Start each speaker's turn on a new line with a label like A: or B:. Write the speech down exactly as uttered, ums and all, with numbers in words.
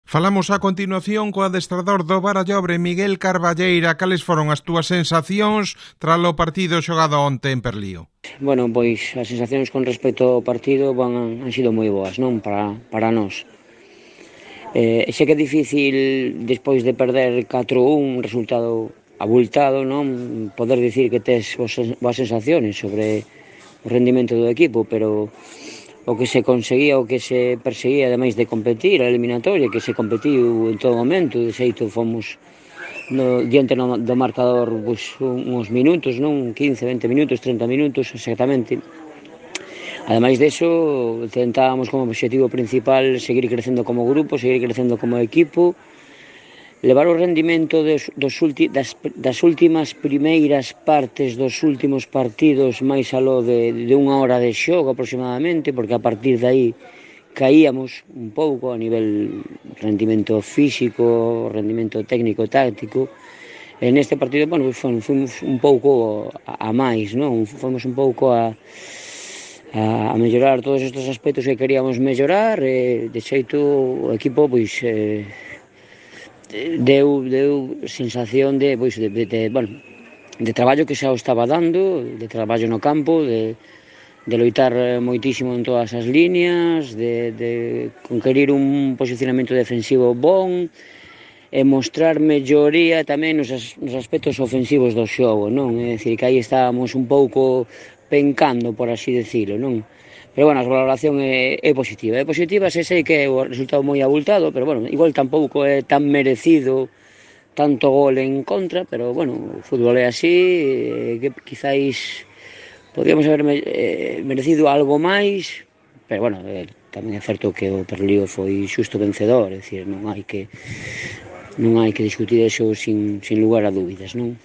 A: Falamos a continuación co adestrador do Barallobre, Miguel Carballeira. Cales foron as túas sensacións tras o partido xogado onte en Perlío?
B: Bueno, pois as sensacións con respecto ao partido van, han sido moi boas, non? Para, para nós. Eh, xe que é difícil, despois de perder catro a un, un resultado abultado, non? Poder dicir que tes boas sensaciones sobre o rendimento do equipo, pero o que se conseguía, o que se perseguía, ademais de competir, a eliminatoria, que se competiu en todo momento, de xeito fomos no, diante no, do marcador pois, uns minutos, non? quince, vinte minutos, trinta minutos, exactamente. Ademais deso, tentábamos como objetivo principal seguir crecendo como grupo, seguir crecendo como equipo, levar o rendimento dos, dos ulti, das, das últimas primeiras partes dos últimos partidos máis aló de, de unha hora de xogo aproximadamente, porque a partir de aí caíamos un pouco a nivel rendimento físico, rendimento técnico, táctico. En este partido, bueno, fomos un pouco a, a máis, non? Fomos un pouco a, a, a mellorar todos estes aspectos que queríamos mellorar, e de xeito o equipo, pois, eh, deu, deu sensación de, pois, de, de, de, bueno, de traballo que xa o estaba dando, de traballo no campo, de, de loitar moitísimo en todas as líneas, de, de conquerir un posicionamento defensivo bon, e mostrar melloría tamén nos, as, nos aspectos ofensivos do xogo, non? É dicir, que aí estábamos un pouco pencando, por así decirlo, non? Pero, bueno, a valoración é, é positiva. É positiva, se sei que é o resultado moi abultado, pero, bueno, igual tampouco é tan merecido tanto gol en contra, pero, bueno, o fútbol é así, eh, que quizáis podríamos haber eh, merecido algo máis, pero, bueno, eh, tamén é certo que o Perlío foi xusto vencedor, é dicir, non hai que non hai que discutir eso sin, sin lugar a dúbidas, non?